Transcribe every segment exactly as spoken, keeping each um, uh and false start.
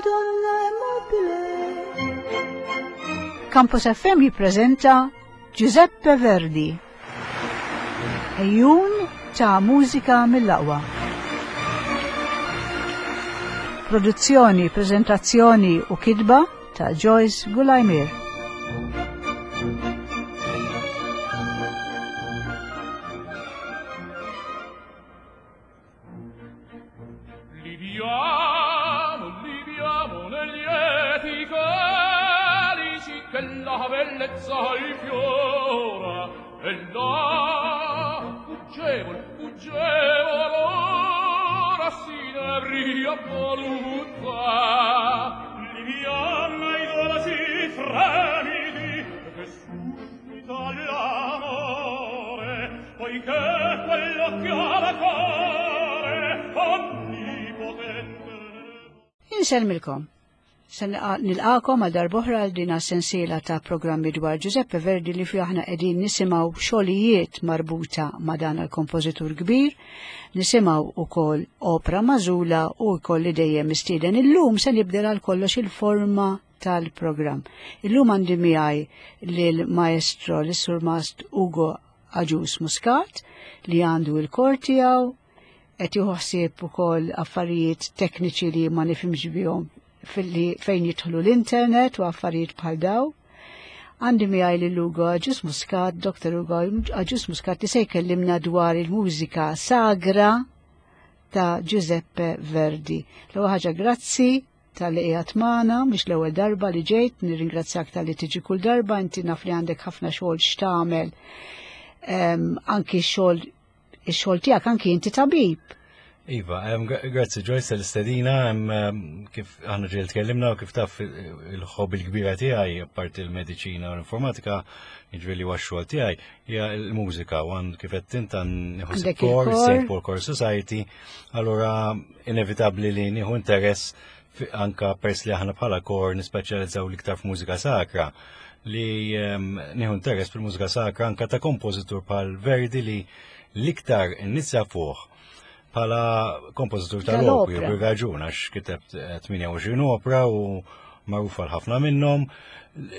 donna è mobile. Campus F M jippreżenta Giuseppe Verdi. Ejjun ta' mużika mill-aqwa. Produzzjoni, prezentazzjoni u kitba ta' Joyce Gulajmir. Liviamo, liviamo negli lieti calici che la bellezza rifiora, e là fuggevol, fuggevol ora si n'avria voluta. Liviamo i dolci fremiti che suscita l'amore, poiché quell'occhio alla cuore onnipotente. Insellmilkom. Se nilqakom għal darb'oħra għal din sensiela ta' programmi dwar Giuseppe Verdi li fi aħna qegħdin nisimgħu xogħlijiet marbuta ma' dan il-kompożitur kbir, nisimgħu ukoll opra magħżula u wkoll li dejjem mistieden. Illum se nibdel għal kollox il-forma tal-programm. Illum għandi miegħi lil maestro lis-surmast Ugo Agius Muscat li għandu il-kor tiegħu, qed jieħu ħsieb ukoll affarijiet tekniċi li ma nifhimx bihom fil-li fejn jidħlu l-internet u affarijiet bħal daw. Għandi miegħi lil Ugo Agius Muscat, Doktor Ugo Agius Muscat, li se jkellimna dwar il-mużika sagra ta' Giuseppe Verdi. L-ewwel ħaġa grazzi tal-li qiegħed magħna, mhux l-ewwel darba li ġejt, nirringrazzjak tal-li tiġi kull darba, inti naf li għandek ħafna xogħol x'tagħmel, ehm, anki xogħol, ix-xogħol tiegħek, anki inti tabib. Iva, em, gra-, grazzi Joyce tal-istedina, em, em, kif aħna ġiel tkellimna u kif taf il-hobby l-kbira tiegħi, apparti l-mediċina u l-informatika, jiġifieri huwa x-xogħol tiegħi, hija l-mużika, u għand kif qed int għand nieħu Għandek kor, il-kor. Saint Paul Choir Society, allura inevitabbli li nieħu interess fi-, anka pers li aħna bħala kor nispeċjalizzaw l-iktar f'mużika sakra, li, em, nieħu interess fil-mużika sakra anka ta' kompożitur bħal Verdi li l-iktar innizja fuq bħala kompożitur tal-opri, Tal-opra. bir raġun, għax kiteb, eh, tmienja u għoxrin opra u magħruf għal ħafna minnhom.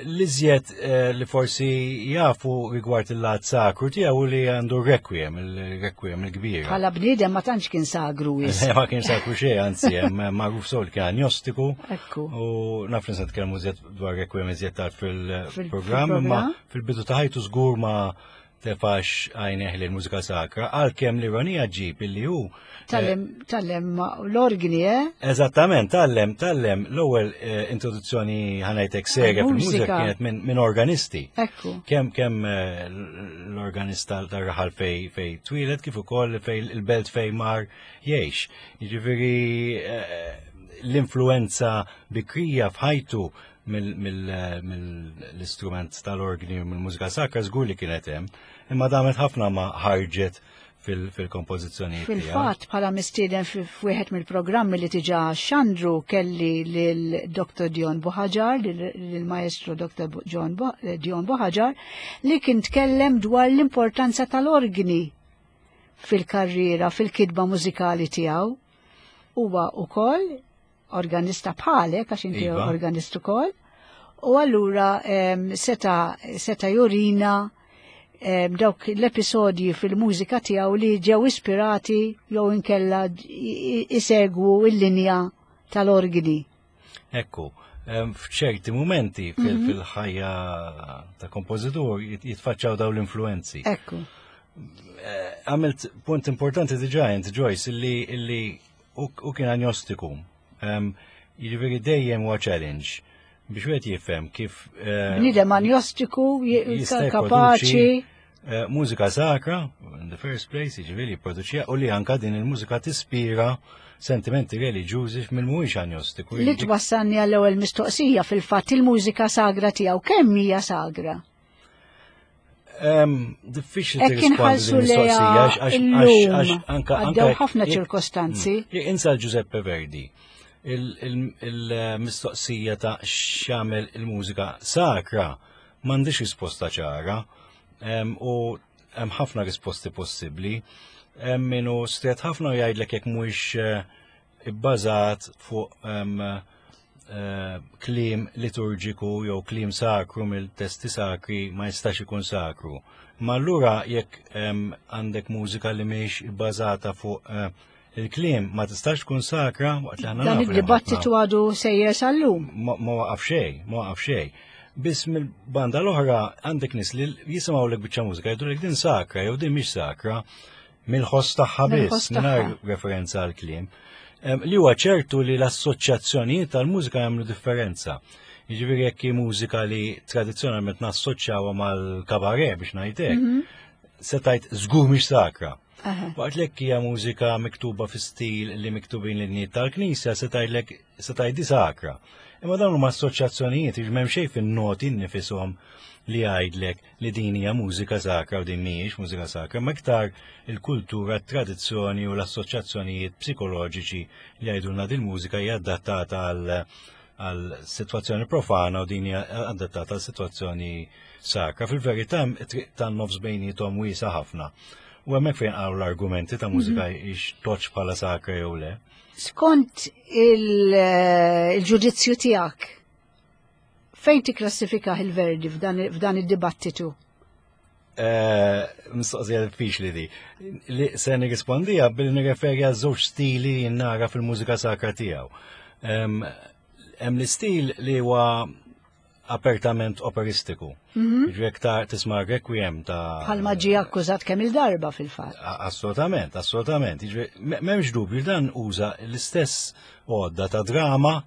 L-iżjed, eh, li forsi jafu rigward il-lat sakru tiegħu li għandu requiem, il-requiem il-kbir. Bħala bniedem ma tantx kien sagru wis. Le, ma kien sagru xejn, anzi, hemm magħruf sew li kien agnostiku. Ekku. U naf li se nitkellmu iżjed dwar requiem iżjed tard Fil- fil-programm, imma fil-programm. fil-bidu ta' ħajtu żgur ma tefax għajneħ li l-mużika sakra, għalkemm l-ironija ġib illi hu, eh, Tallem, tallem l-organi, eh? Eżattament, tallem, tallem l-ewwel, eh, introduzzjoni ħanajtek serja Għal-mużika. fil-mużika kienet minn, minn organisti. Ekku. Kemm, kemm, eh, l-organista tar-raħal fej, fej twieled, kif ukoll fej il-belt fej mar jgħix. Jiġifieri, eh, l-influenza bikrija f'ħajtu mill-, mill-, mill-istrument tal-organi u mill-mużika sakra żgur li kienet hemm, imma damet ħafna ma ħarġet fil-, fil-kompożizzjonijiet tiegħu. Fil-fatt, bħala mistieden fi-, f'wieħed mill-programmi li tiġa xandru kelli lil Doktor Dion Buhagiar, lil, lil maestro Doktor Bu-, John Bu-, Dion Buhagiar, li kien tkellem dwar l-importanza tal-organi fil-karriera, fil-kitba mużikali tiegħu. Huwa wkoll organista bħalek, għax inti Iva. organist ukoll, u allura, em, seta, seta jurina, em, dawk l-episodji fil-mużika tiegħu li ġew ispirati jew inkella i-, i-, isegwu l-linja tal-organi. Ekku, em, f'ċerti mumenti fil-, Mhm. fil-ħajja ta' kompożitur jit-, jitfaċċaw daw l-influenzi. Ekku. Eh, għamilt punt importanti diġà int, Joyce, illi, illi u, u kien agnostiku. Em, jiġifieri dejjem huwa challenge biex wieħed jifhem kif, eh, Bniedem agnostiku, je-, jista' kapaċi. jipproduċi, eh, mużika sakra, in the first place, jiġifieri jipproduċiha, u li anka din il-mużika tispira sentimenti reliġjużi minn mhuwiex agnostiku. Li twassalni għall-ewwel mistoqsija fil-fatt il-mużika sagra tiegħu kemm hija sagra? Em, diffiċli Hekk tirrispondi inħallsu din lejha il-mistoqsija, għax, għax, illum. għax, anka, Għaddew anka ħafna jekk ċirkostanzi. Mm. Jekk insa Giuseppe Verdi, il-, il-, il-mistoqsija ta' x'jagħmel il-mużika sakra m'għandix risposta ċara, em, u hemm ħafna risposti possibbli. Hemm min hu stret ħafna u jgħidlek jekk mhuwiex, eh, ibbażat fuq, em, eh, kliem liturġiku jew kliem sakru mill-testi sakri ma jistax ikun sakru. Ma allura jekk em, għandek mużika li mhix bbażata fuq eh, il-kliem ma tistax tkun sakra waqt li aħna Dan nafu li hemm id-dibattitu għadu sejjer sal-lum. ma ma waqaf xejn, ma waqaf xejn. Biss mill-banda l-oħra għandek nies li jisimgħu lek biċċa mużika jgħidu din sakra jew din mhix sakra mill-ħoss tagħha biss, Mill-ħoss tagħha. mingħajr referenza għal kliem. Em, Li huwa ċertu li l-assoċjazzjonijiet tal-mużika jagħmlu differenza. Jiġifieri jekk hi mużika li tradizzjonalment nassoċjawha mal-kabaret biex ngħidlek, se tgħid żgur mhix sakra. Aha. Waqt lek hija mużika miktuba fi stil li miktubin l-innijiet tal-Knisja se tgħidlek se tgħid sakra. Imma dawn huma assoċjazzjonijiet jiġi m'hemm xejn fin-noti nifishom li jgħidlek li din hija mużika sakra u din mhijiex mużika sakra, ma iktar il-kultura, t-tradizzjoni u l-assoċjazzjonijiet psikoloġiċi li jgħidulna din mużika hija adattata għal għal situazzjoni profana u din hija adattata għal situazzjoni sakra. Fil-verità it-triq tan-nofs bejniethom wiesa ħafna. U hemmhekk fejn qalu l-argumenti ta' mużika ix toċ bħala sakra jew le. Skont il- eh, il-ġudizzju tiegħek, fejn tikklassifika il-Verdi f'dan f'dan id-dibattitu? Eh, Mistoqsija diffiċli di. Li se nirrispondija billi nirreferi għal żewġ stili li nara fil-mużika sakra tiegħu. Em, Hemm l-istil li huwa apertament operistiku. Ġifieri ta' tisma' requiem ta' Bħalma ġie akkużat kemm il-darba fil-fatt. A- Assolutament, assolutament. Jiġifieri, me- M'hemmx dubju dan uża l-istess għodda ta' drama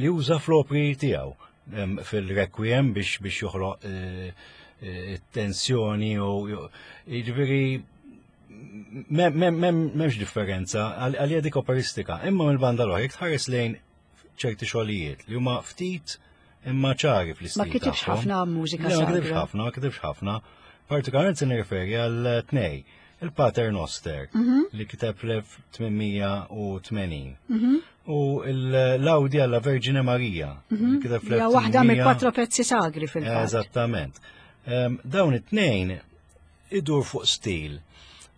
li uża fl-opri tiegħu em, fil-requiem biex biex joħloq eh, eh, tensjoni u jiġifieri m'hemm- m'hemm- m'hemm- m'hemmx differenza għal- għalija dik operistika. Imma mill-banda l-oħra jekk tħares lejn ċerti xogħlijiet li huma ftit imma ċari fl-istil Ma kitibx tagħhom. ħafna mużika Le, ma kitibx sagra. ħafna, ma kitibx ħafna. Partikolarment se nirreferi għal tnej. Il-Pater Noster li kiteb fl-elf tmien mija u tmenin u l-Laudi alla Vergine Maria li kiteb Hija waħda fl-elf tmien mija mill-quattro pezzi sagri fil-fatt. Eżattament. Em, Dawn it-tnejn idur fuq stil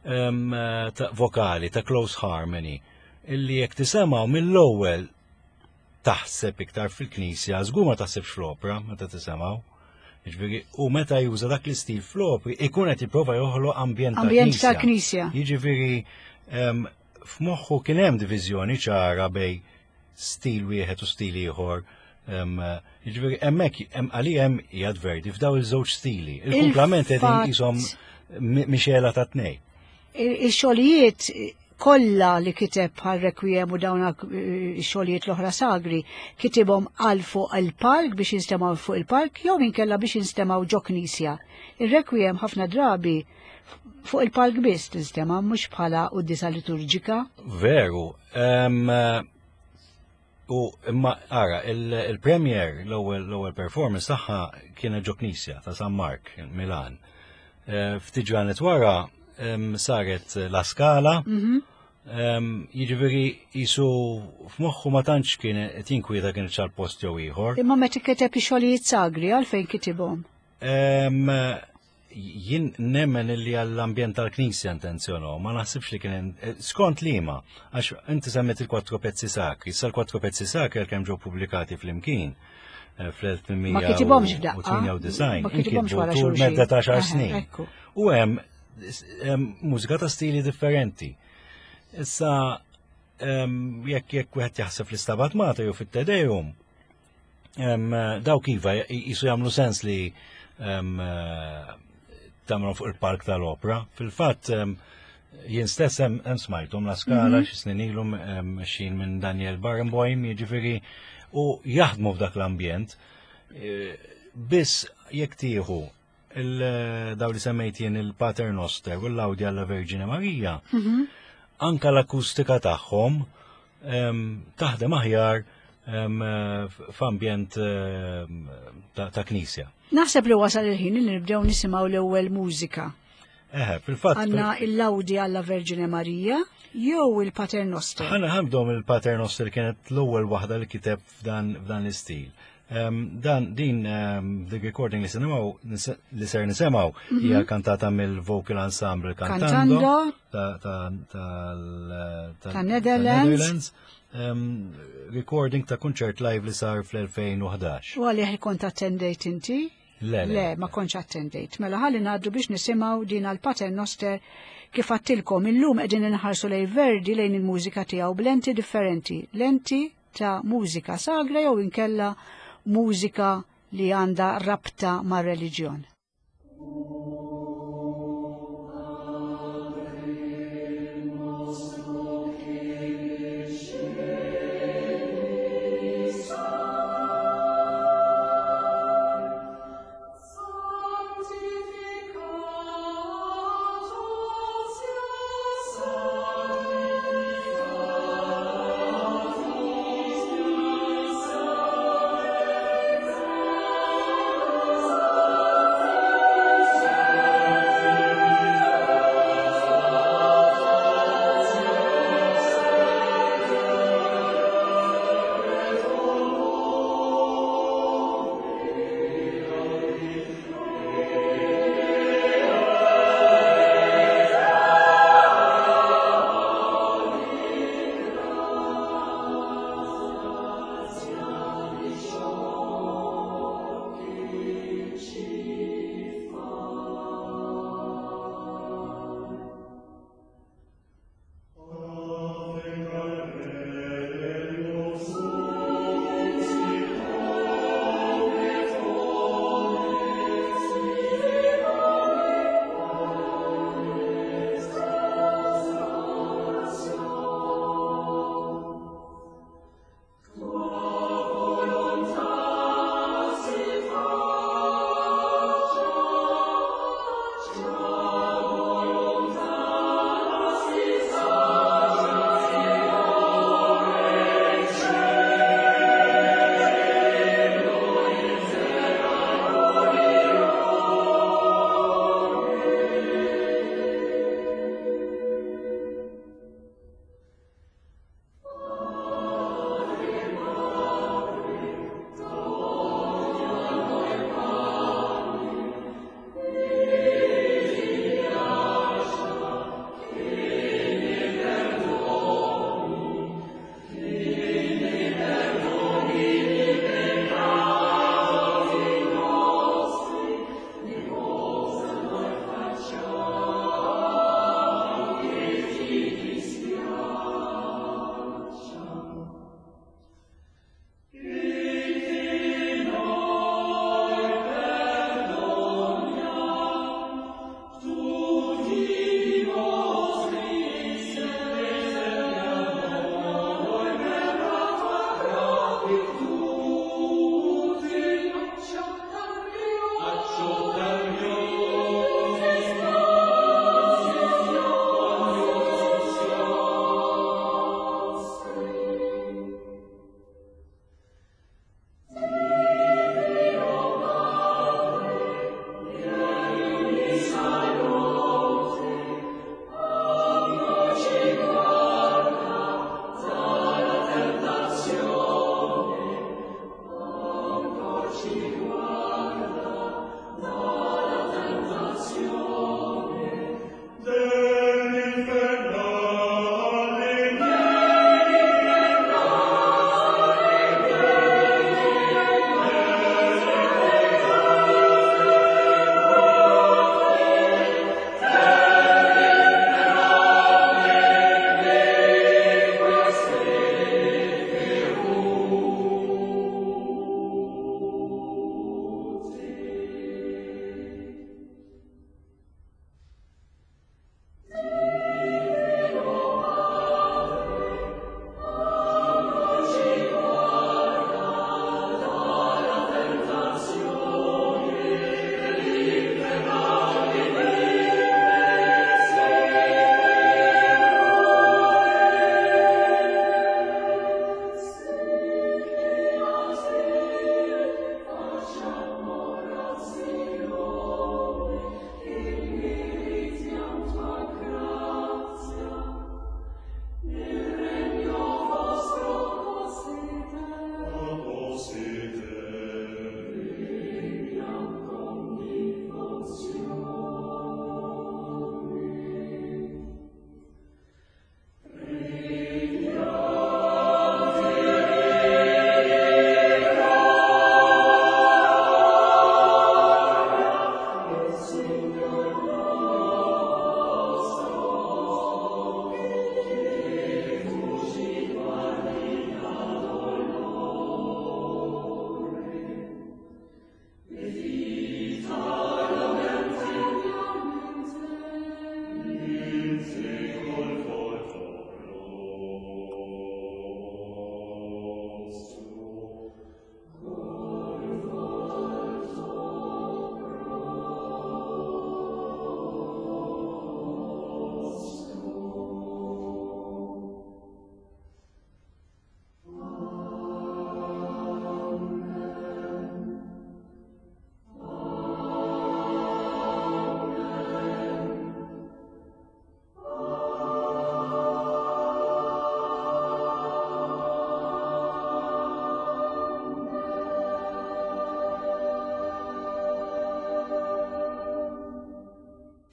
em, ta' vokali, ta' close harmony, illi jekk tisemgħu mill-ewwel taħseb iktar fil-knisja, żgur ma taħsebx fl-opra meta tisemgħu. Jiġifieri, u meta juża dak l-istil fl-opri, ikun qed jipprova joħloq ambjent ta' Ambjent ta' knisja. knisja. Jiġifieri em, f'moħħu kien hemm diviżjoni ċara bej stil wieħed u stil ieħor. Em, Jiġifieri hemmhekk hemm għalija hemm qiegħed Verdi f'daw iż-żewġ stili. Il-kumplament qegħdin Il-fatt- qishom mi- mixela ta' tnej. Il- Il-xogħlijiet kollha li kiteb bħal Requiem u dawn ix-xogħlijiet l-oħra sagri kitibhom għal fuq il-palk biex jinstemgħu fuq il-palk jew inkella biex jinstemgħu ġo knisja. Il-Requiem ħafna drabi fuq il-palk biss tinstema' mhux bħala quddiesa liturġika. Veru. em, U imma ara, il- il-premier l-ewwel l-ewwel performance tagħha kienet ġo knisja ta' San Mark, Milan. Eh, Ftit ġranet wara em, saret La Scala, em, jiġifieri jisu f'moħħu ma tantx kien qed jinkwieta kien ċal post jew ieħor. Imma meta kiteb ix-xogħlijiet sagri għalfejn kitibhom. Em, Jien nemmen illi għall-ambjent tal-knisja intenzjonaw, ma naħsibx li kien eh, skont liema, għax inti semmet il-quattro pezzi sakri, issa l-quattro pezzi sakri għalkemm ġew pubblikati flimkien eh, fl-elf tmien mija u tmienja u disgħin, Ma kitibhomx f'daqqa. Ma kitibhomx inkitbu wara tul xulxin. medda ta' xar Aha, snin. ekku. U hemm hemm mużika ta' stili differenti. Issa em, jekk jekk wieħed jaħseb fl-Istabat Mater jew fit-Te Deum, em, dawk iva jisu jagħmlu sens li em, eh, tagħmlu fuq il-park tal-opera. Fil-fatt em, jien stess hemm hemm smajthom La Scala xi snin ilhom em, xin minn Daniel Barenboim, jiġifieri u jaħdmu f'dak l-ambjent. Eh, Biss jekk tieħu il- daw li semmejt jien il-Pater Noster u l-Laudi alla Vergine Maria, anka l-akustika tagħhom em, taħdem aħjar em, eh, f'ambjent em, ta' ta' knisja. Naħseb li wasal il-ħin li nibdew nisimgħu l-ewwel mużika. Eħe, fil-fatt. Għandna il-Laudi alla Vergine Maria jew il-Pater Noster. Ħana ħabdom il-Pater Noster kienet l-ewwel waħda li kiteb f'dan f'dan l-istil. Um, dan din um, the recording li semgħu li ser nisimgħu hija kantata mill-vocal ensemble Cantando Cantando. ta' ta' tal- Ta' Netherlands. Netherlands. um, recording ta' kunċert live li sar fl-elfejn u ħdax. U għalih kont attendejt inti? Le, le. Le, ma kontx attendejt. Mela ħalli ngħaddu biex nisimgħu din għal Pater Noster. Kif għedtilkom, illum qegħdin inħarsu lejn Verdi, lejn il-mużika tiegħu b'lenti differenti. Lenti ta' mużika sagra jew inkella mużika li għandha rabta ma' reliġjon. Sanctificatus.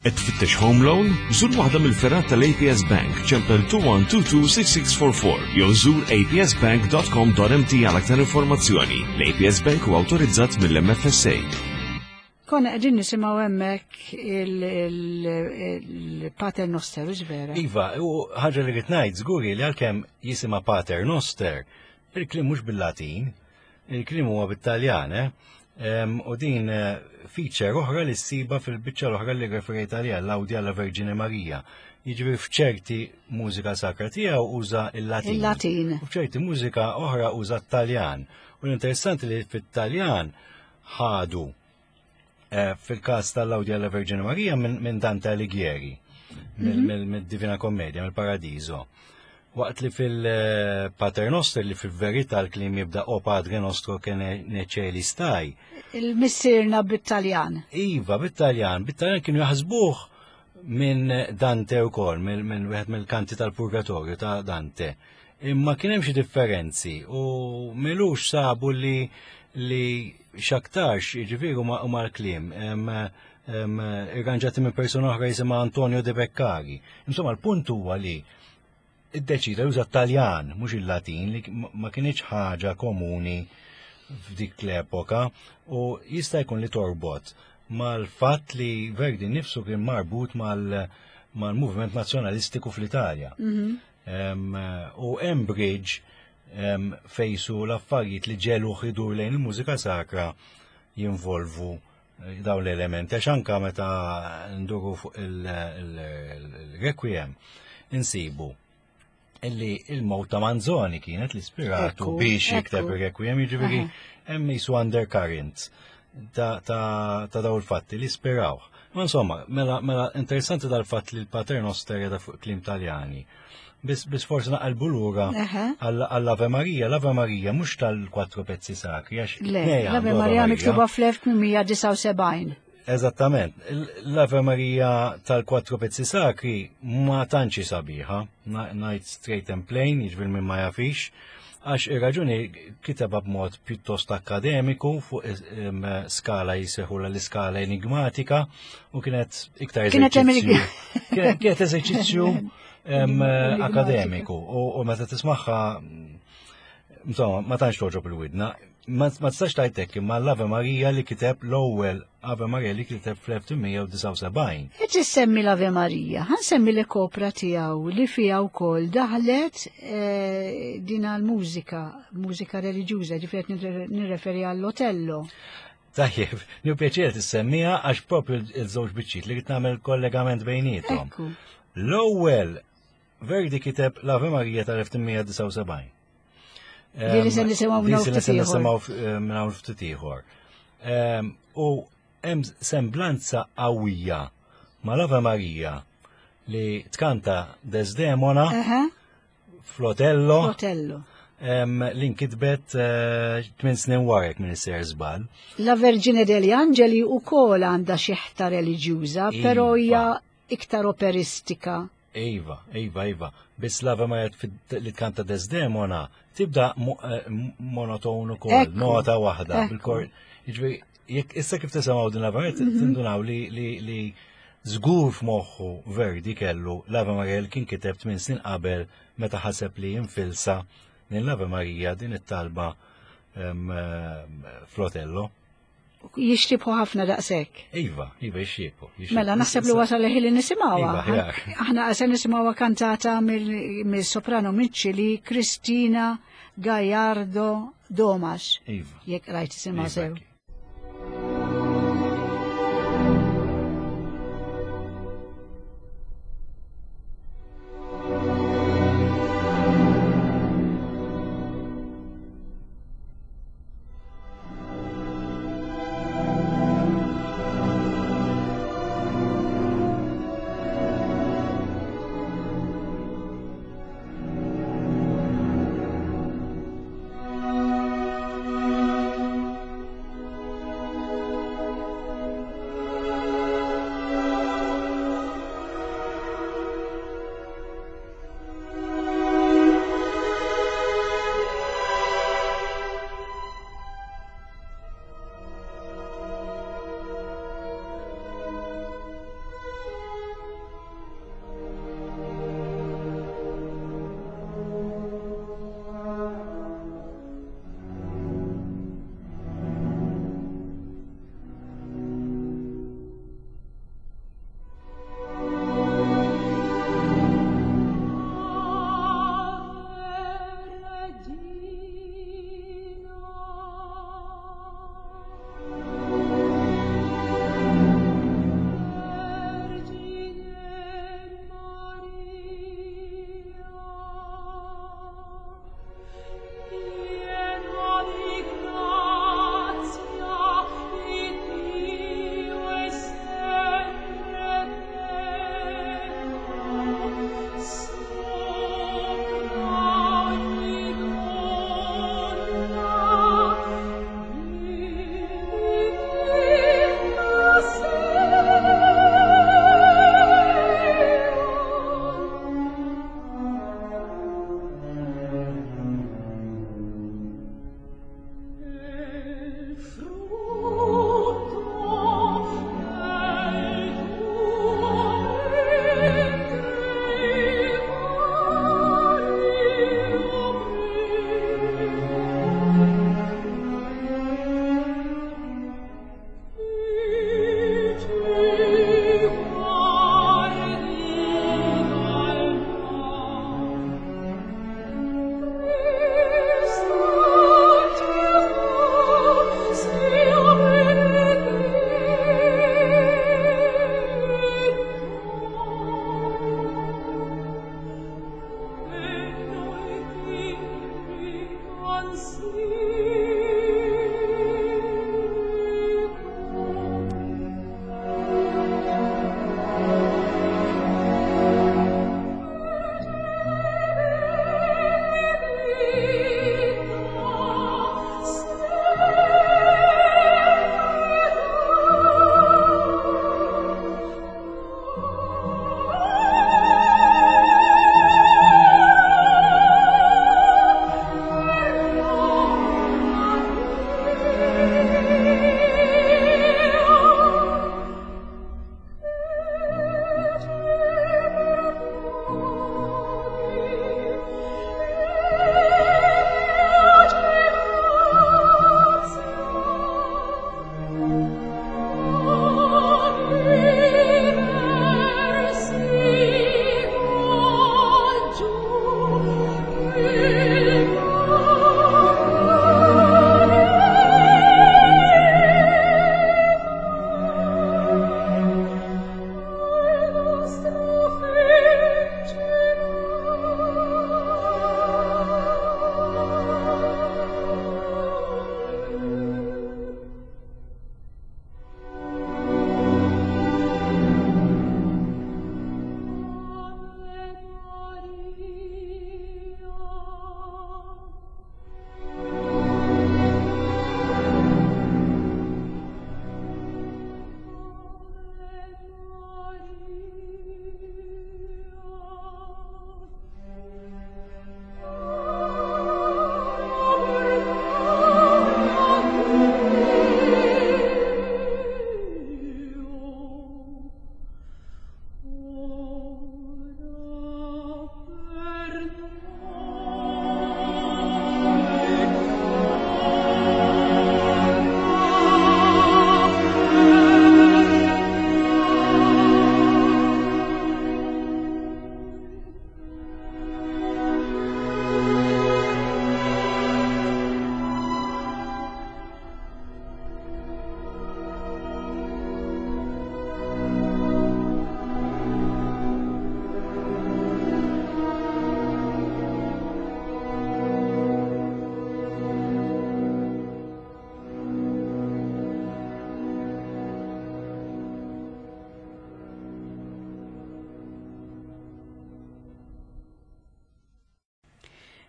Qed tfittex home loan? Żur waħda mill-fergħat tal-A P S Bank, ċempel two one two two six six four four jew żur A P S bank dot com dot M T għal aktar informazzjoni. L-A P S Bank huwa awtorizzat mill-M F S A. Konna qegħdin nisimgħu hemmhekk il-Pater Noster, vera? Iva, u ħaġa li rrid ngħid żguri li għalkemm jisimha Pater Noster, il-kliem mhux bil-Latin, il-kliem huwa bit-Taljan, eh? U din eh, feature oħra li ssiba fil-biċċa l-oħra li referejt għaliha, l-Laudi alla Verġine Marija. Jiġifieri f'ċerti mużika sakra tiegħu uża il-Latin. Il-Latin. U f'ċerti mużika oħra uża t-Taljan. U l-interessanti li fit-Taljan ħadu eh, fil-każ tal-Laudi alla Verġine Marija minn Dante Alighieri, mill-Divina Commedia, mill-Paradiso. Waqt li fil-Pater Noster, li fil-verità l-kliem jibda "O Padre nostro che nei cieli stai". Il-missirna bit-Taljan. Iva, bit-Taljan. Bit-Taljan kienu jaħsbuh minn Dante u kol, minn wieħed mill-kanti tal-Purgatorju ta' Dante. Imma kien hemm xi differenzi u m'ilux sabu li li x'aktarx jiġifieri huma l-kliem irranġati minn persuna oħra jisimha Antonio De Beccari. Insomma, l-punt huwa li iddeċida juża Taljan, mhux il-Latin, li ma kienx ħaġa komuni f'dik l-epoka u jista' jkun li torbot mal-fatt li Verdi nifsu kien marbut mal-movement nazzjonalistiku fl-Italja. Mhm. U hemm bridge fejsu l-affarijiet li ġelu idur lejn il-mużika sakra jinvolvu eh, dawn l-elementi, għax anka meta nduru fuq il-Requiem insibu illi il-mowt ta' Manzoni kienet l-ispiratu biex jikteb il-Requiem, jiġifieri hemm jisu undercurrent ta' daw il-fatti li ispirawh. Ma insomma, mela, mela interessanti dal-fatt li l-Pater Noster jada fuq kliem Taljani. Bis, bis forsi naqalbu lura għall-Ave Maria, l-Ave Maria mhux tal-quattro pezzi sakri, għax l-Ave Maria miktuba fl-elf tmien mija disgħa u sebgħin. Eżattament, l-Ave Maria tal-quattro pezzi sakri ma tantx sabiħa, ngħid straight and plain, jiġifieri minn ma jafix, għax ir-raġuni kiteba b'mod pjuttost akademiku fuq skala jisejħu l-iskala enigmatika u kienet iktar eżerċizzju. Kienet eżerċizzju akademiku u meta tismagħha, insomma, ma tantx toġob il-widna. Ma tistax tgħidlek imma l-Ave Maria li kiteb, l-ewwel Ave Maria li kiteb fl-elf tmien mija disgħa u sebgħin. Qed issemmi l-Ave Maria, ħa nsemmi l-opra tiegħu li fiha wkoll daħlet eh, din l-mużika, mużika reliġjuża, ġifieri nirreferi għall-Otello. Tajjeb, nieħu pjaċir tissemmija għax propju il-żewġ biċċiet li qed nagħmel kollegament bejniethom. L-ewwel Verdi kiteb l-Ave Maria tal-elf tmien mija disgħa u sebgħin. Li li se nisimgħu minn hawn ftit ieħor. Minn hawn ftit ieħor. U hemm semblanza qawwija mal-Ave Maria li tkanta Desdemona fl-Otello. Otello. Li nkitbet eh, tmien snin wara minn isser żball. La Vergine degli Angeli ukoll għandha xi ħta reliġjuża, però Iva. hija iktar operistika. Iva, Iva, Iva. Biss l-Ave Maria li tkanta Desdemona tibda eh, monoton ukoll, Ekku. nota waħda Ekku. bil-kor. Jiġifieri, jekk issa kif tisimgħu din l-Ave Maria Mhm. tindunaw li li li żgur f'moħħu Verdi kellu l-Ave Maria li kien kiteb tmien snin qabel meta ħaseb li jinfilsa din l-Ave Maria, din it-talba em, em, fl-Otello. Jixtibħu ħafna daqshekk. Iva, Iva, jixxieku. Mela, naħseb li wasal il-ħin li nisimgħuha. Iva, ħjar. Aħna se nisimgħuha kantata mill- mill-soprano mill-Ċili Cristina Gallardo Domas. Iva. Jekk rajt isimha Iva, sew. hekk. Thank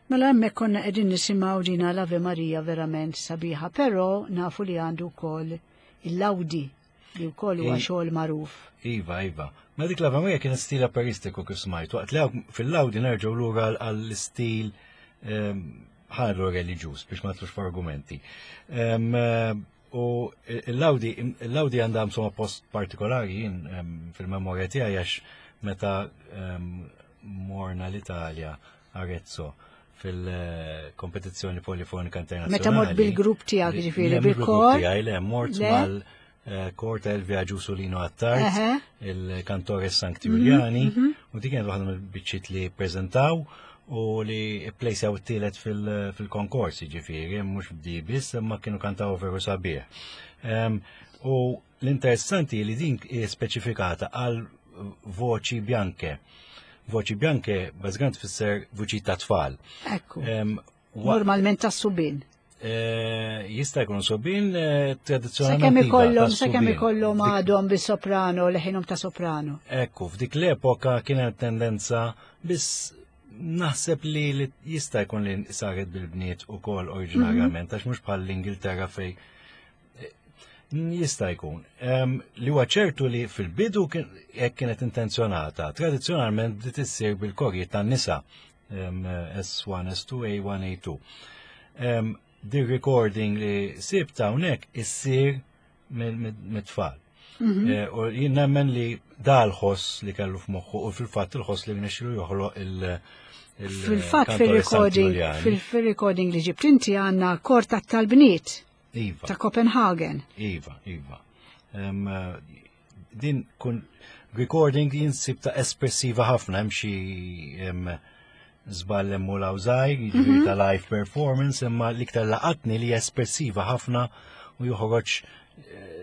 Mela hemmhekk konna qegħdin nisimgħu dina l-Ave Maria verament sabiħa, però nafu li għandu wkoll il-Lawdi li wkoll huwa xogħol magħruf. Iva, iva. Ma dik l-Ave Maria kien stil operistiku kif smajt. Waqt li fil-Lawdi nerġgħu lura għall-istil ħallu reliġjuż biex ma tlux f'argumenti. U il-Lawdi il-Lawdi għandha insomma post partikolari jien fil-memorja tiegħi għax meta morna l-Italja Arezzo fil-kompetizzjoni polifonika internazzjonali. Meta mort bil-grupp tiegħek ġifieri bil-kor? Le, mort mal-kor ta' Elvia Giusolino Attard, il-kantore Sancti Giuliani, u dik kienet waħda mill-biċċiet li ppreżentaw u li pplejsjaw it-tielet fil-konkors, ġifieri, mhux bdi biss, imma kienu kantaw veru sabiħ. U l-interessanti li din hi speċifikata għal voċi bianche. Voċi bianche bażikament tfisser vuċi ta' tfal. Ekku. Normalment ta' subin. Jista' jkun subin tradizzjonalment. Sakemm ikollhom sakemm ikollhom għadhom bis-soprano, leħinhom ta' soprano. Ekku, f'dik l-epoka kien hemm tendenza biss naħseb li jista' jkun li saret bil-bniet ukoll oriġinarjament għax mhux bħal l-Ingilterra fej jista' jkun. Li huwa ċertu li fil-bidu hekk kienet intenzjonata. Tradizzjonalment bdiet issir bil-korji tan-nisa S one, S two, A one, A two. Di recording li sibt hawnhekk issir mit-tfal. U jien nemmen li dal-ħoss li kellu f'moħħu u fil-fatt il-ħoss li rnexxielu joħloq il- Fil-fatt fil-recording fil-recording li ġibt inti għandna kor tat-talbniet. Iva. Ta' Copenhagen. Iva, iva. Um, din kun recording jinsib ta' espressiva ħafna, hemm xi żball hemm u lawżaj, jiġifieri ta' live performance, imma l-iktar laqatni li espressiva ħafna u joħroġ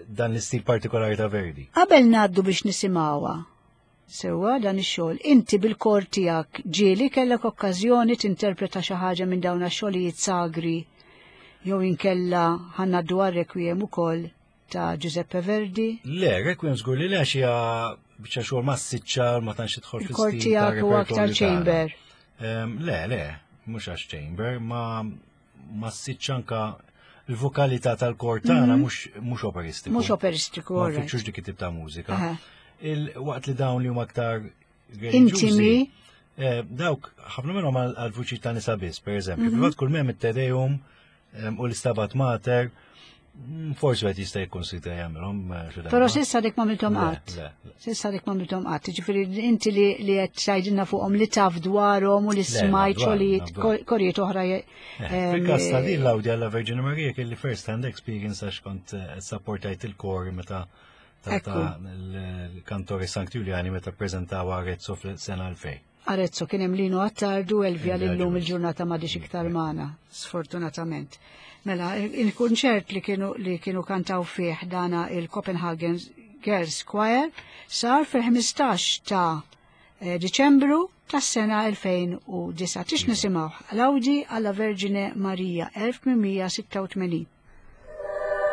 dan l-istil partikolari ta' Verdi. Qabel ngħaddu biex nisimgħuha sewwa dan ix-xogħol, inti bil-kor tiegħek ġieli kellek okkażjoni tinterpreta xi ħaġa minn dawn ix-xogħlijiet sagri jew inkella ħanna dwar Requiem ukoll ta' Giuseppe Verdi? Le, Requiem żgur li le għax hija biċċa xogħol massiċċa ma tantx tidħol fl-istil. Il-kor tiegħek huwa aktar chamber. Le, le, mhux għax chamber, ma massiċċa anka il-vokalità tal-kor tagħna mhux operistiku. Mhux operistiku, Ma nfittxux dik it-tip ta' mużika. Waqt li dawn li huma aktar intimi. Dawk ħafna minnhom għal-vuċi ta' nisa biss, pereżempju. Fil-fatt kull m'hemm it-Te Deum u l-Istabat Mater, forsi għet jista' jikkonsidra jagħmilhom. Però s'issa dik m'għamilthom qatt. S'issa dik m'għamilthom qatt. Jiġifieri inti li qed tgħidilna fuqhom li taf dwarhom u li smajt xogħlijiet korijiet oħra. Fil-każ ta' din l-Lawdi alla Verġini Marija kelli first hand experience għax kont sapportajt il-kor meta ta' l-kantori Sancti Giuliani meta ppreżentaw Arezzo fl-sena elfejn. Arezzo kien hemm Lino Attardu, Elvia lillum il-ġurnata m'għadix iktar magħna, sfortunatament. Mela, il-kunċert li kienu li kienu kantaw fih dana il-Copenhagen Girls Choir sar fil-ħmistax ta' Diċembru tas-sena elfejn u disgħa. Tix nisimgħu Lawdi alla Vergine Maria elf tmien sitta u tmenin. Thank you.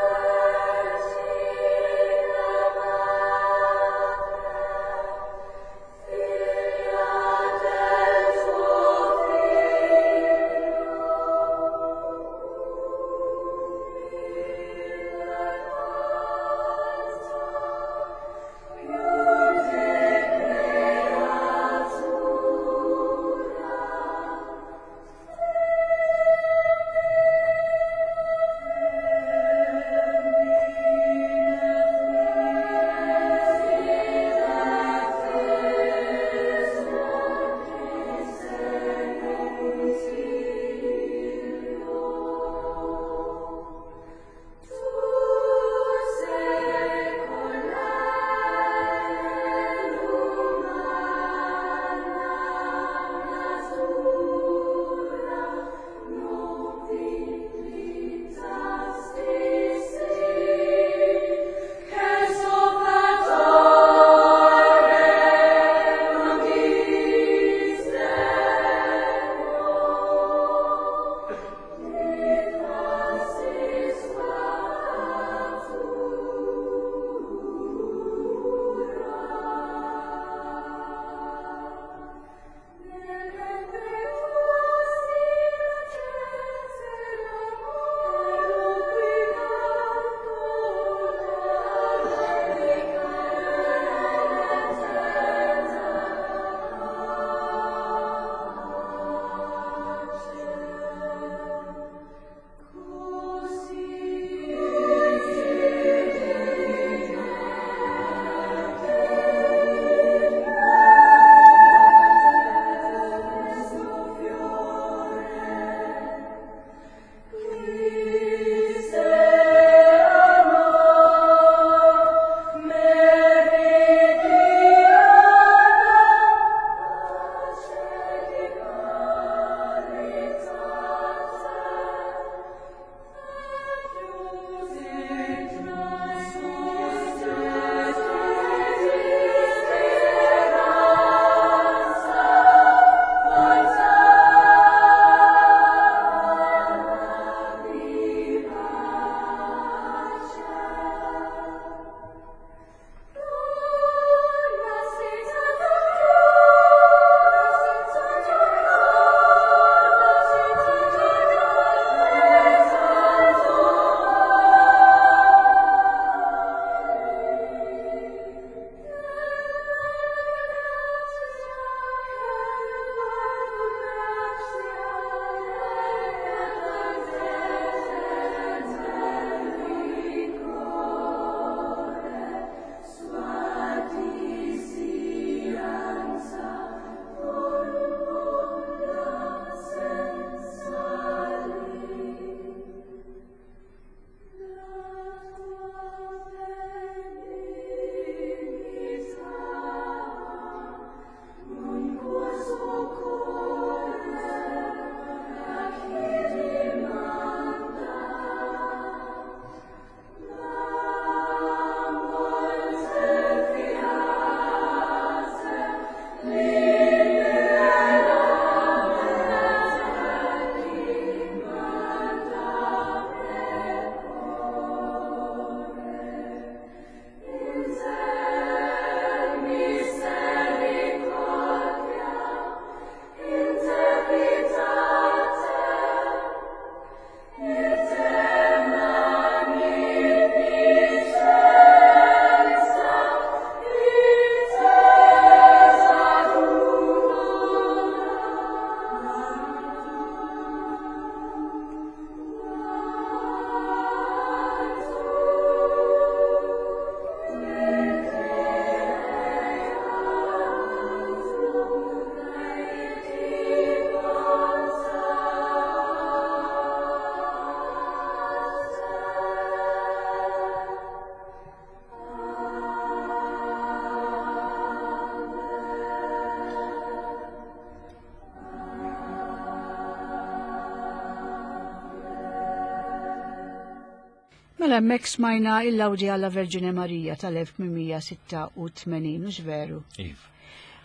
Mela hemmhekk smajna il-Lawdi alla Verġine Marija tal-elf tmien mija sitta u tmenin, mhux veru? Iva.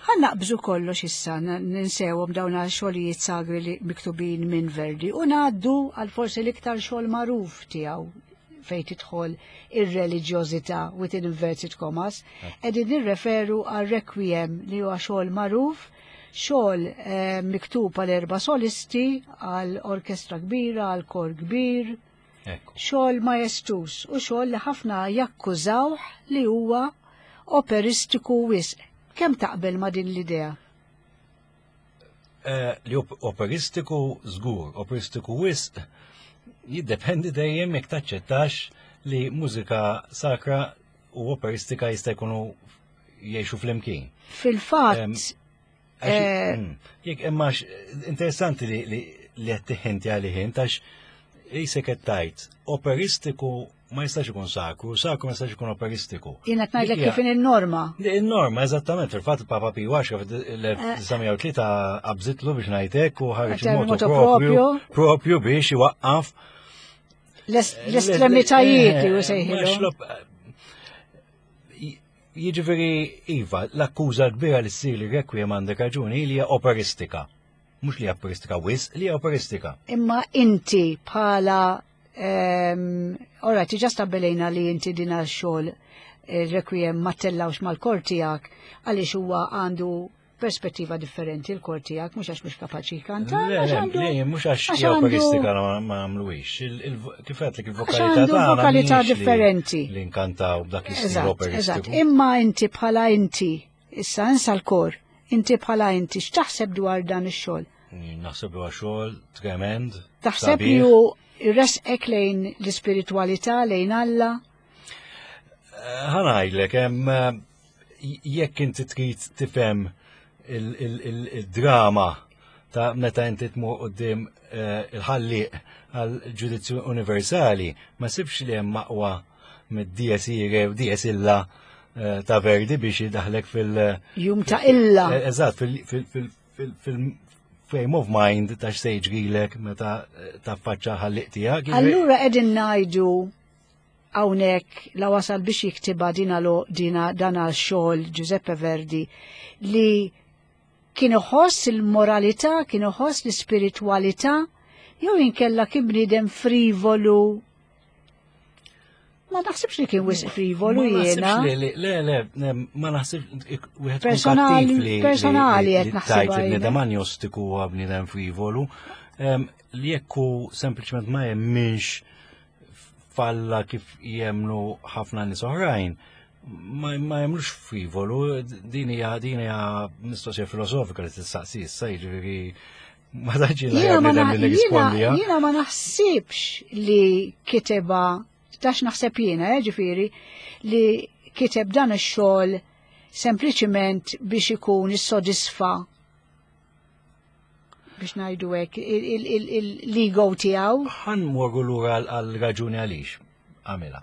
Ħa naqbżu kollox issa, ninsewhom dawn xogħlijiet sagri li miktubin minn Verdi u ngħaddu għal forsi l-iktar xogħol magħruf tiegħu fejn tidħol ir-reliġjożità within inverted commas, qegħdin nirreferu għal Requiem, li huwa xogħol magħruf, xogħol eh, miktub għal erba' solisti, għal orkestra kbira, għal kor kbir, xogħol majestuż u xogħol li ħafna jakkużawh li huwa operistiku wisq. Kemm taqbel ma' din l-idea? Eh, li operistiku żgur, operistiku wisq, jiddependi dejjem jekk taċċettax li mużika sakra u operistika jista' jkunu jgħixu flimkien. Fil-fatt, eh, mm, jekk imma interessanti li li qed tiħinti għalih għax jisek qed tgħid operistiku ma jistax ikun sakru, sakru ma jistax ikun operistiku. Jiena ngħidlek kif in-norma. In-norma, eżattament, fil-fatt Papa Piju għaxra fil-elf disa' mija u tlieta qabżitlu biex ngħidlek u ħareġ il-motu propju propju biex iwaqqaf l-estremitajiet li sejħilu. Jiġifieri iva, l-akkuża kbira li ssir li Requiem, għandek raġuni, li hija operistika. Mhux li operistika wisq, li operistika. Imma inti bħala, ora, diġà stabbilejna li inti dina xogħol il-Requiem ma ttellgħux mal-kor tiegħek għaliex huwa għandu perspettiva differenti l-kor tiegħek, mhux għax mhux kapaċi jkanta. Le, le, mhux għax operistika ma għamluwix. Kif għedtlek, il-vokalità tagħna. Vokalità differenti. Li nkantaw b'dak l-istil operistiku. Imma inti bħala inti, issa insa l-kor, inti bħala inti, x'taħseb dwar dan ix-xogħol? Naħseb huwa xogħol tremend. Taħseb li hu jressqek lejn l-ispiritualità, lejn Alla? Ħa ngħidlek, hemm jekk inti trid tifhem il-drama ta' meta inti tmur quddiem eh, il-ħalliq għal ġudizzju universali, ma sibx li hemm aqwa mid-Dies Irae u Dies Illa eh, ta' Verdi biex jidaħlek fil- Jum ta' illa. Eh, eżatt, fil-frame of mind ta' x'se jiġrilek meta taffaċċa ħalliq tiegħek. Allura qegħdin ngħidu hawnhekk la wasal biex jiktiba dina lo dina dana xogħol Giuseppe Verdi li kien iħoss il-moralità, kien iħoss l-ispiritualità, jew inkella kien bniedem frivolu? Ma naħsibx li kien wisq frivolu jiena. Le, le, le, ma naħsibx wieħed personali, personali qed naħseb. Tajt il-bniedem agnostiku huwa bniedem frivolu. Li jekku sempliċement ma jemminx f'Alla kif jemnu ħafna nies oħrajn, ma, ma jemlux frivolu, din hija din hija mistoqsija filosofika li tistaqsi issa, jiġifieri ma taġi li rispondi. Jiena ma naħsibx li kiteba tax naħseb jiena, eh, ġifieri, li kiteb dan ix-xogħol sempliċiment biex ikun issodisfa, biex ngħidu hekk, l-ego tiegħu. Ħa mmorru lura għal raġuni għaliex għamilha.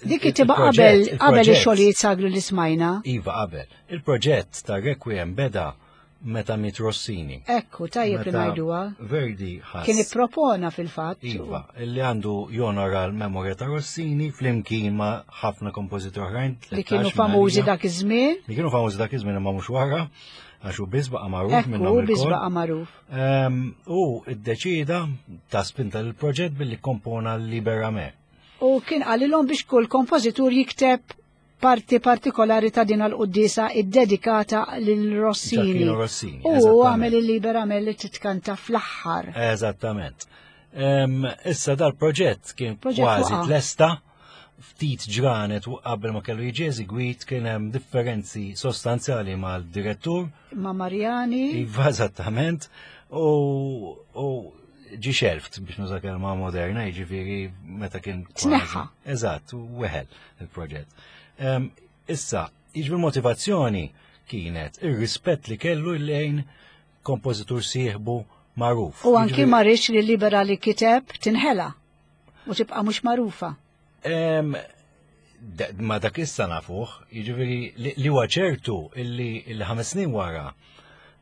Dik kitibha qabel qabel ix-xogħlijiet sagri li smajna. Iva, qabel. Il-proġett ta' Requiem beda meta miet Rossini. Ekku, tajjeb li ngħiduha. Verdi ħass. Kien ippropona fil-fatt. Iva, illi għandu jonora l-memorja ta' Rossini flimkien ma' ħafna kompożitori oħrajn. Li kienu famużi dak iż-żmien. Li kienu famużi dak iż-żmien imma mhux wara, għax hu biss baqa' magħruf minnhom. Ekku, biss baqa' magħruf. U iddeċida ta' spinta l-proġett billi kompona l-Libera Me. U kien qalilhom biex kull kompożitur jikteb parti partikolari ta' din l-quddisa id-dedikata lil Rossini. Rossini. U għamel il-Libera Me li titkanta fl-aħħar. Eżattament. Issa dal-proġett kien kważi tlesta ftit ġranet u qabel ma kellu jiġi eżegwit kien hemm differenzi sostanzjali mal-direttur. Ma' Mariani. Iva, eżattament. U ġi shelved, biex nuża kelma moderna, jiġifieri meta kien. Tneħħa. Eżatt, weħel il-proġett. Issa, jiġri motivazzjoni kienet ir-rispett li kellu lejn kompożitur sieħbu magħruf. U anki ma riedx li Libera li kiteb tinħela u tibqa' mhux magħrufa. Ma dak issa nafuh, jiġifieri li huwa ċertu illi il-ħames snin wara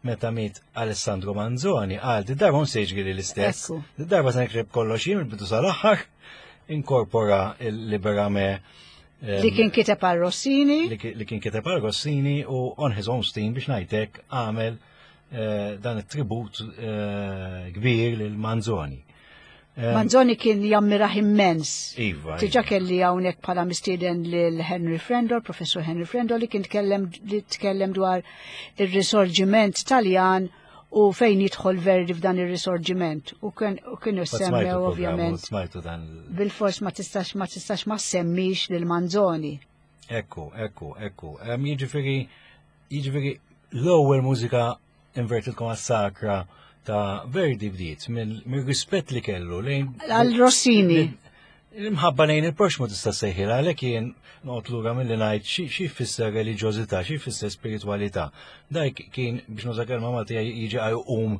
meta miet Alessandro Manzoni qal: "Di darba se jiġri l-istess. Di darba se nikteb kollox jien mill-bidu sal-aħħar." inkorpora il-Libera Me li kien kiteb għal Rossini. Li kien kiteb għal Rossini u on his own steam biex ngħidlek għamel eh, dan it-tribut eh, kbir lil Manzoni. Manzoni kien jammirah immens. Iva. Diġà kelli hawnhekk bħala mistieden lil Henry Frendol, Professor Henry Frendol, li kien tkellem li tkellem dwar ir-risorġiment Taljan u fejn jidħol Verdi f'dan ir-risorġiment. U kienu semmew ovvjament. Smajtu dan. Bil-fors ma tistax ma tistax ma semmix lil Manzoni. Ekku, ekku, ekku. Jiġifieri, jiġifieri l-ewwel mużika inverted commas sacra ta' Verdi bdiet mill-rispett li kellu lejn għal Rossini. L-imħabba lejn il-proxmu tista' sejħilha, għalhekk jien noqgħod lura milli ngħid xi jfisser reliġjożità, xi jfisser spiritualità. Dak kien biex nuża kelma Maltija jiġi għajqum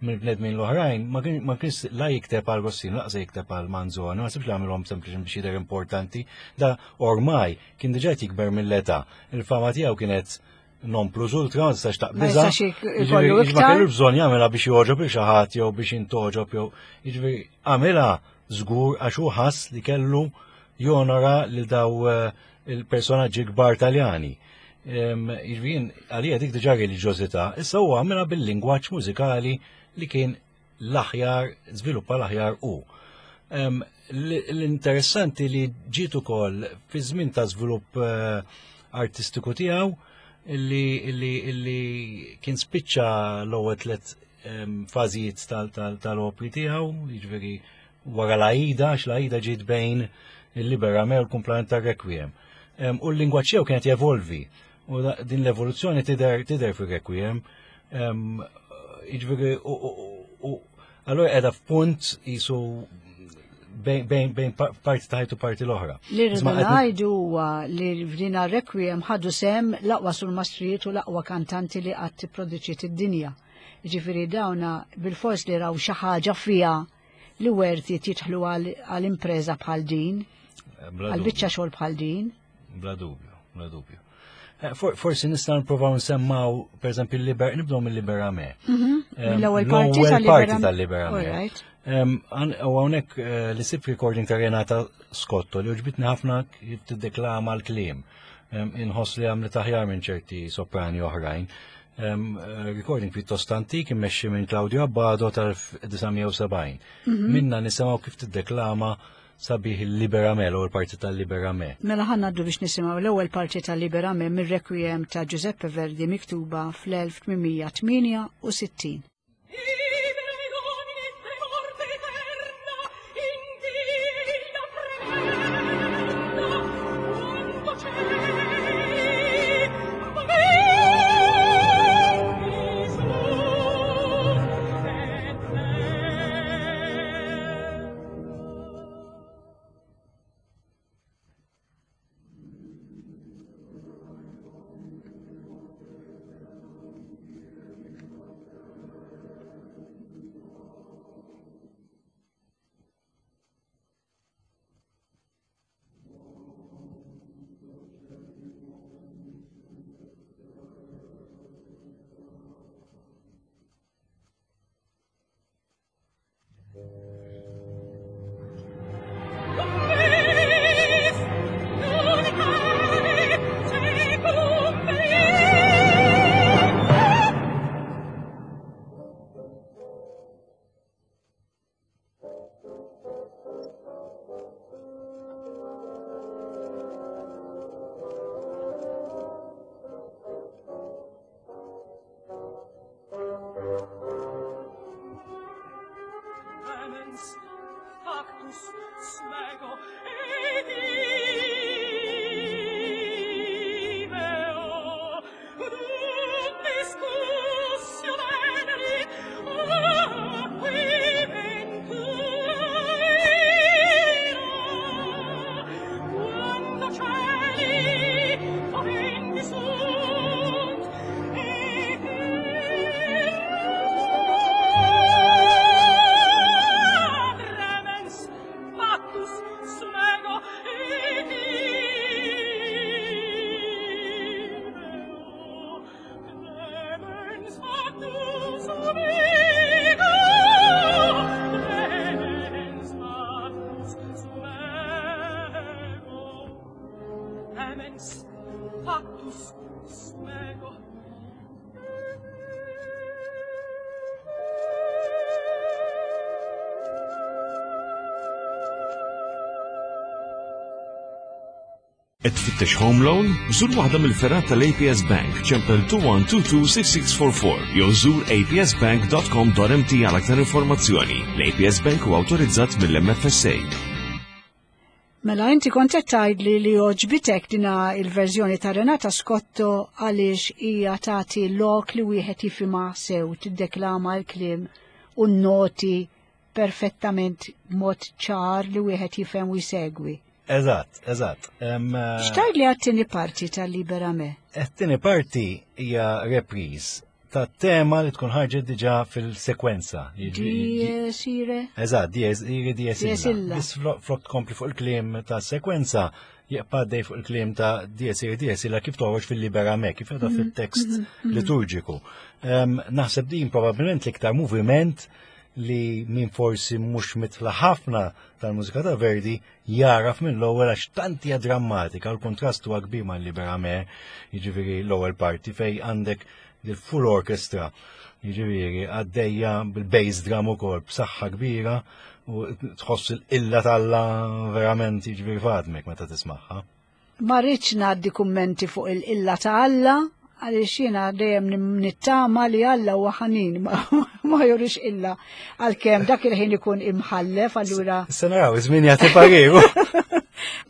mill-bnedmin l-oħrajn, ma kienx la jikteb għal Rossini, laqsa jikteb għal Manzoni, ma sibx li għamilhom sempliċi biex jidher importanti. Da ormai kien diġà jikber mill-età. Il-fama tiegħu kienet non plus ultra, ma tistax taqbiża. Ma kellu bżonn jagħmilha biex joġob il xi ħadd jew biex intoġob jew jiġifieri għamilha żgur għax hu ħass li kellu jonora lil daw il-personaġġi kbar Taljani. Jiġifieri għalija dik diġà reliġjożità, issa huwa għamilha bil-lingwaġġ mużikali li kien l-aħjar, żviluppa l-aħjar hu. L-interessanti li ġiet ukoll fi żmien ta' żvilupp artistiku tiegħu illi illi illi kien spiċċa l-ewwel tliet fażijiet tal-opri tiegħu, jiġifieri wara l-Aida, għax l-Aida ġiet bejn il-Libera Me u l-kumplament tar-Requiem. U l-lingwaġġ tiegħu kienet jevolvi, u din l-evoluzzjoni tidher tidher fir-Requiem. Jiġifieri u allura qiegħda f'punt qisu bejn bejn parti ta' ħajtu parti l-oħra. Li rridu ngħidu huwa li f'din Requiem ħadu sem l-aqwa sul-mastrijiet u l-aqwa kantanti li qatt tipproduċiet id-dinja. Jiġifieri dawna bil-fors li raw xi ħaġa fiha li werti jidħlu għal impreża bħal din, għal biċċa xogħol bħal din. Bla dubju, bla dubju. Forsi nistgħu nipprovaw nsemmaw, pereżempju, il-Liber, nibdew mill-Libera Me. Mill-ewwel parti tal-Libera Me. U hawnhekk li sib recording ta' Renata Scotto li uġbitni ħafna kif tiddeklama l-kliem. Inħoss li għamlet aħjar minn ċerti soprani oħrajn. Recording pjuttost antik immexxi minn Claudio Abbado tal-elf disa' mija u sebgħin. Minna nisimgħu kif tiddeklama sabiħ il-Libera Me, l-ewwel parti tal-Libera Me. Mela ħa ngħaddu biex nisimgħu l-ewwel parti tal-Libera Me mir-Requiem ta' Giuseppe Verdi miktuba fl-elf tmien mija tmienja u sittin. Smego. Clemens, factus sum ego. Qed tfittex home loan? Żur waħda mill-fergħat tal-A P S Bank, ċempel two one two two six six four four jew żur A P S bank dot com dot M T għal aktar informazzjoni. L-A P S Bank huwa awtorizzat mill-M F S A. Mela inti kont qed tgħidli li għoġbitek dina il-verżjoni ta' Renata Scotto għaliex hija tagħti lok li wieħed jifhimha sew, tiddeklama l-kliem u n-noti perfettament mod ċar li wieħed jifhem u jsegwi. Eżatt, eżatt. Em, eh, X'tgħidli għat-tieni parti tal-Libera Me? It-tieni parti hija reprise ta' tema li tkun ħarġet diġà fil-sekwenza. Dies irae? Eżatt, dies irae, dies Dies illa. illa. Biss flok flok tkompli fuq il-kliem ta' sekwenza, jibqa' għaddej fuq il-kliem ta' dies irae, dies illa kif toħroġ fil-Libera Me, kif għadha fil-tekst liturġiku. Em, Naħseb din probabbilment l-iktar moviment li min forsi mhux mitla ħafna tal-mużika ta' Verdi jaraf minn l-ewwel għax tant hija drammatika, l-kontrast huwa kbir ma' Libera Me, jiġifieri l-ewwel parti fej għandek il-full orchestra, jiġifieri għaddejja bil-bass drum ukoll b'saħħa kbira u tħoss il-illa t'Alla verament, jiġifieri fadmek meta tismagħha. Ma rridx ngħaddi kummenti fuq il-illa ta' Alla, għaliex jiena dejjem nittama li Alla huwa ħanin, ma, ma jurix illa, għalkemm dak il-ħin ikun imħallef, allura Issa naraw, iż-żmien jagħti pariru.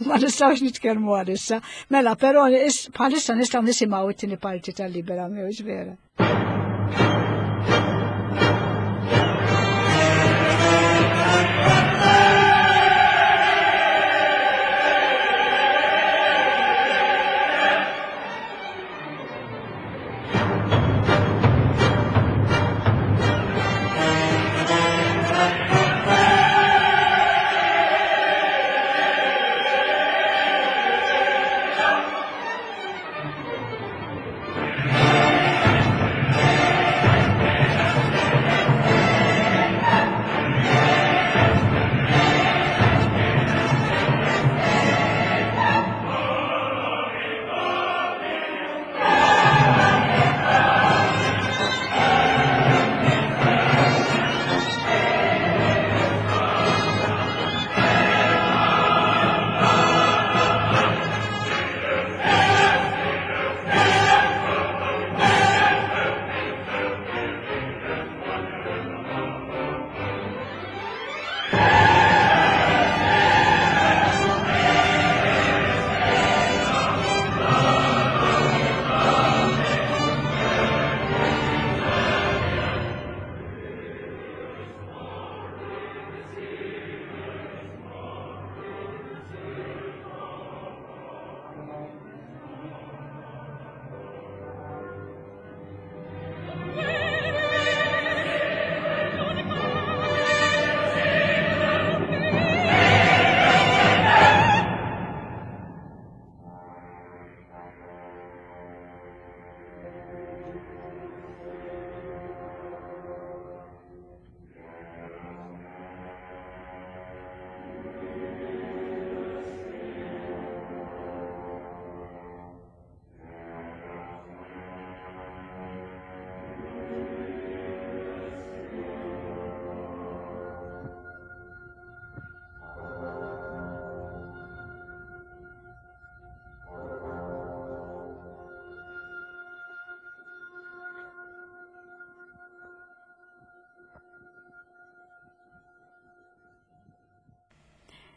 Ma nistgħux nitkellmu għalissa. Mela, però is- bħalissa nistgħu nisimgħu it-tieni parti tal-Libera Me, vera.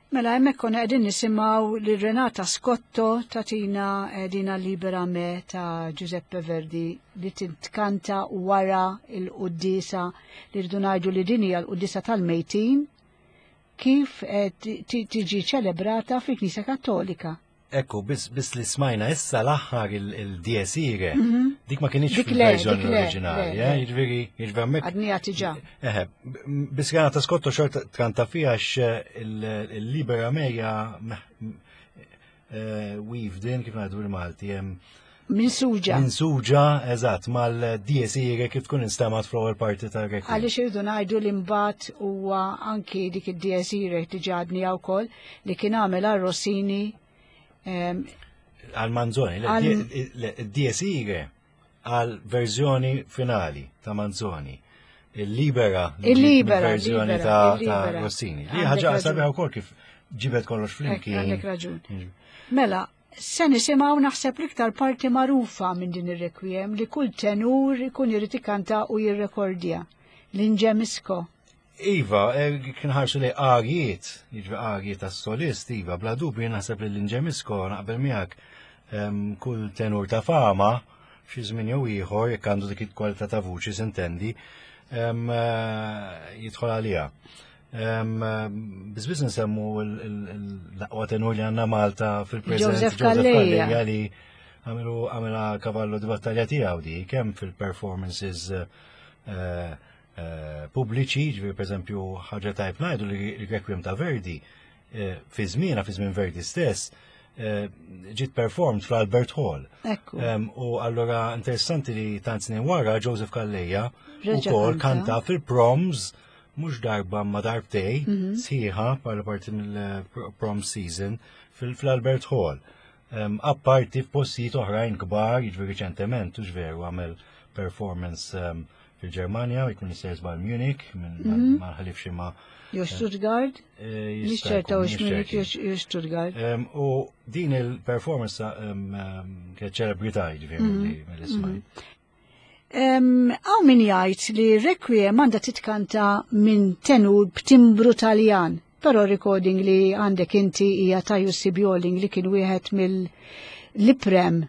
Mela hemmhekk konna qegħdin nisimgħu lil Renata Scotto tagħtina eh, dina Libera Me ta' Giuseppe Verdi li tintkanta wara il-quddiesa li rridu ngħidu li din hija l-quddiesa tal-mejtin kif eh, ti- ti- tiġi ċelebrata fil-Knisja Kattolika. Ekku, biss bis li smajna issa l-aħħar il-Dies irae, dik ma kienx Dik le, fil-verżjoni dik le, oriġinali, le, le. eh, jiġifieri, jiġifieri hemmhekk. Għadnija tiġa. Eħe, biss Renata Scotto xorta tkanta fiha għax il-Libera Me hija weaved in, kif ngħidu bil-Malti, hemm Minsuġa. minsuġa, eżatt, mal-Dies irae kif tkun instemgħet fl-ewwel parti tal-Requiem. Għaliex irridu ngħidu li mbagħad huwa anki dik id-Dies irae diġà għadnija wkoll li kien għamel għal Rossini em, Għal Manzoni, id-Dies Irae għal verżjoni finali ta' Manzoni. Il-Libera, Il-Libera, verżjoni il-Libera, ta' il-Libera. Rossini. Li Għandek ħaġa raġun. sabiħa wkoll kif ġibet kollox flimkien. Għandek raġun. Mela, se nisimgħu naħseb l-iktar parti magħrufa minn din ir-requiem li kull tenur ikun irid ikanta u jirrekordja. L-Ingemisco. Iva, eh, kien ħarsu li arjiet, jiġri arjiet tas-solist, Iva, bla dubju naħseb li l-Ingemisco naqbel miegħek em, kull tenur ta' fama, xi żmien jew ieħor jekk għandu dik il-kwalità ta' vuċi s'intendi, em, eh, jidħol għaliha. Em, eh, Biss nsemmu l-aqwa tenur li għandna Malta fil-preżent Joseph Calleja. Calleja li għamilu għamela cavallo di battaglia tiegħu di, kemm fil-performances eh, eh, pubbliċi, ġifieri per eżempju ħaġa tajb ngħidu li l-Requiem ta' Verdi, eh, fi żmienha, fi żmien Verdi stess, eh, ġiet performed fl-Albert Hall. Ekku. Em, U allora interessanti li tant snin wara Joseph Calleja Reġa' ukoll kanta. kanta fil-proms mhux darba ma darbtej sħiħa bħala parti mill-prom season fil-Albert Hall. Um, apparti f'postijiet oħrajn kbar, jiġifieri riċentement, hux veru għamel performance um, fil-Ġermanja, jkun jista' żball Munich, minn ma ħalifx ma Jo Stuttgart, eh, jista' nixċerta jkun, u Munich, nixċerti. jo Stuttgart. Um, u din il-performance um, um, kienet ċelebrità jiġifieri mill-li mill-li smajt. Hawn min jgħid li Requiem għandha titkanta minn tenur b'timbru Taljan, però recording li għandek inti hija ta' Jussi Bjorling li kien wieħed mill-iprem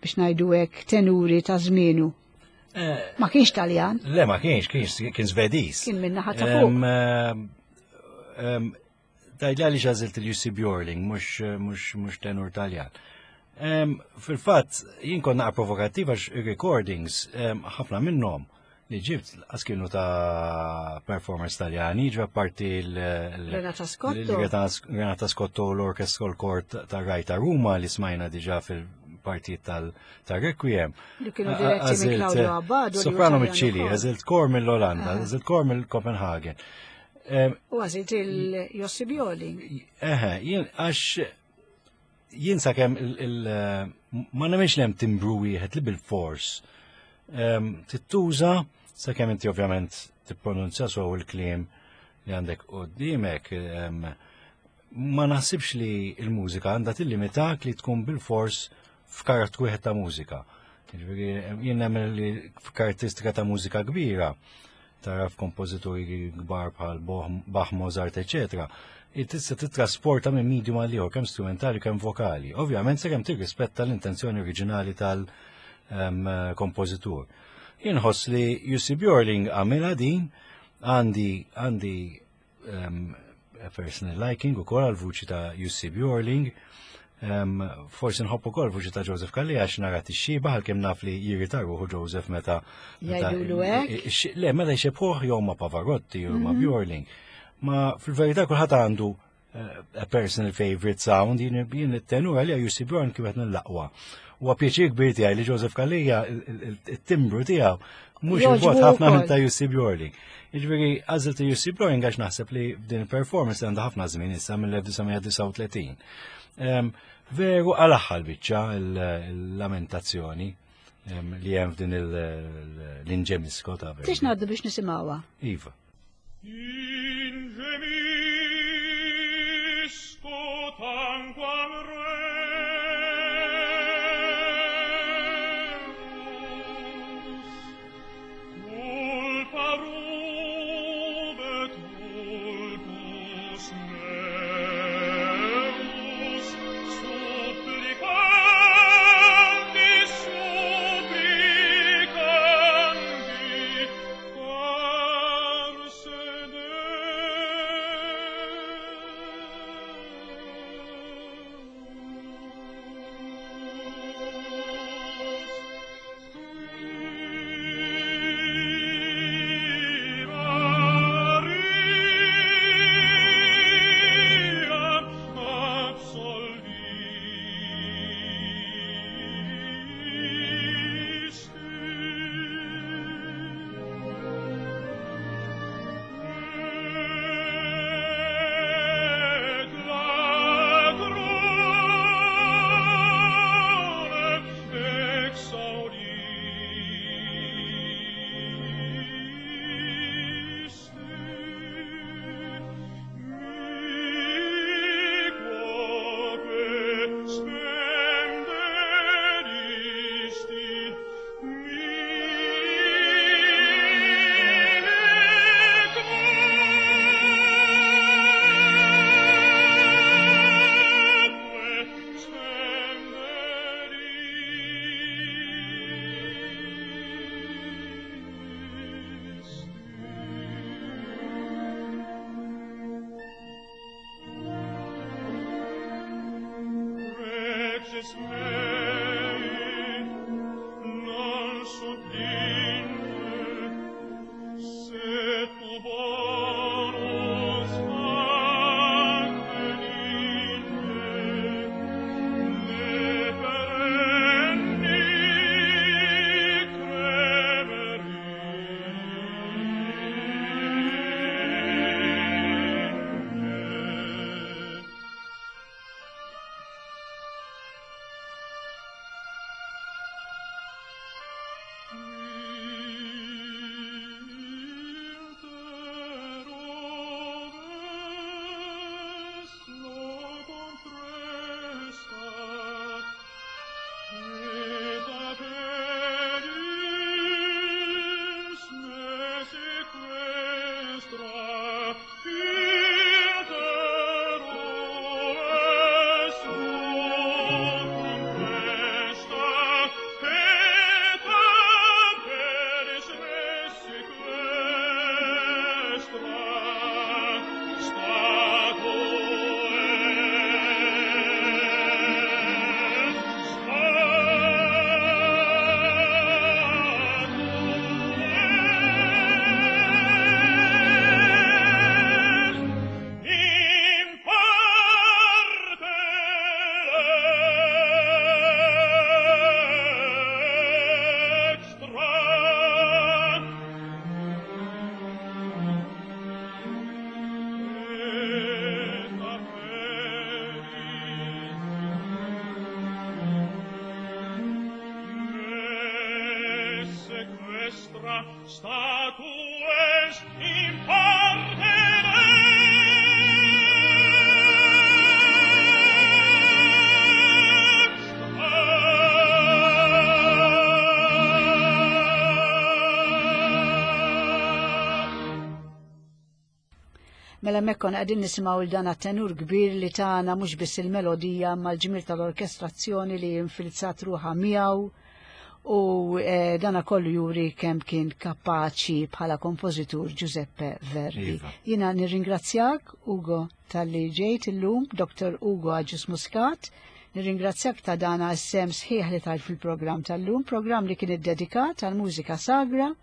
biex ngħidu hekk tenuri ta' żmienu. Ma kienx Taljan, Le, ma kienx, kienx, kien Svediż. Kien min-naħa ta' fuq. Em, em, em, Tgħidli għaliex għażilt il-Jussi Bjorling, mhux, mhux, mhux tenur Taljan. Em, Fil-fatt, jien kont naqra provokattiv għax recordings, em, ħafna minnhom li ġibt għas kienu ta' performers taljani, ġa parti l- l- Renata Scotto. l- Renata Scotto u l-Orchestral Court ta' Rai ta' Ruma li smajna diġa fil-partijiet tal-Requiem. Li kienu diretti minn Claudio Abbado, li hu Soprano Taljan mill-Ċili, ukoll. għażilt kor mill-Olanda, għażilt kor mill-Copenhagen. Em, U għażilt il-Jussi Bjorling. Eħe, jien għax jien sakemm il, il, ma nemmenx li hemm timbru wieħed li bil-fors. Em, Tittuża sakemm inti ovvjament tippronunzja sew il-kliem li għandek qudiemek, em, ma naħsibx li il-mużika għandha tillimitak li tkun bil-fors f'karattru wieħed ta' mużika. Jiġifieri, jien nemmen li f'karatteristika ta' mużika kbira, tara f'kompożituri kbar bħal Boh- Bach, Mozart, eccetera, tista' titrasporta minn medium għal ieħor kemm strumentali kemm vokali. Ovvjament sakemm tirrispetta l-intenzjoni oriġinali tal-kompożitur. Jien ħoss li Jussi Bjorling għamilha din għandi għandi um, a personal liking ukoll għal vuċi ta' Jussi Bjorling. Um, forsi nħobb ukoll vuċi ta' Joseph Calleja għax nara tixxiba għalkemm naf li jirrita ruħu Joseph meta meta- Jgħidulu hekk? Ix- Le, meta jxebħuh jew ma' Pavarotti jew ma' Bjorling. Ma fil-verità kulħadd għandu eh, a personal favorite sound, jien jien it-tenur għalija Jussi Bjorling kif qed nillaqwa. Huwa pjaċir kbir tiegħi li Joseph Calleja il-timbru tiegħu mhux Jogħġbu il-vot ħafna minn wkoll. ta' Jussi Bjorling. Jiġifieri għażilt Jussi Bjorling għax naħseb li din il-performance għandha ħafna żmien issa mill-elf disa' mija disgħa u tletin. Em, Veru għal-aħħar biċċa il-lamentazzjoni em, li hemm f'din l-Ingemisco ta' Verdi. Tix ngħaddu biex nisimgħuha. Iva. Ingemisco tanquam reus, culpa rubet vultus meus, supplicanti, supplicanti, farse Mela mekkon għadin nisimaw il-dan tenur kbir li tagħna mhux biss il-melodija mal-ġmir tal-orkestrazzjoni li infilzat ruħa miegħu u eh, dana kollu juri kemm kien kapaċi bħala kompożitur Giuseppe Verdi. Iva. Jiena nirringrazzjak Ugo tal-li ġejt illum, Doktor Ugo Agius Muscat, nirringrazzjak ta' dana s-sem sħiħ li tajt fil-programm tal-lum, programm li kien iddedikat għal-mużika sagra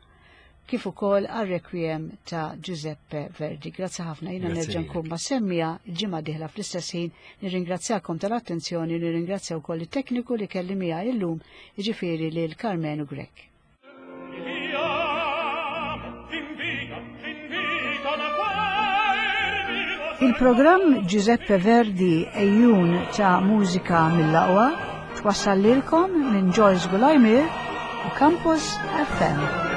kif ukoll għar-requiem ta' Giuseppe Verdi. Grazzi ħafna, jiena Grazzi nerġa' lilek. nkun ma' semmija l-ġimgħa dieħla fl-istess ħin. Nirringrazzjakom tal-attenzjoni, nirringrazzja wkoll it-tekniku li kelli miegħi illum, jiġifieri lil Karmenu Grech. Il-programm Giuseppe Verdi ejjun ta' mużika mill-aqwa twassal lilkom minn Joyce Gulajmir u Campus F M.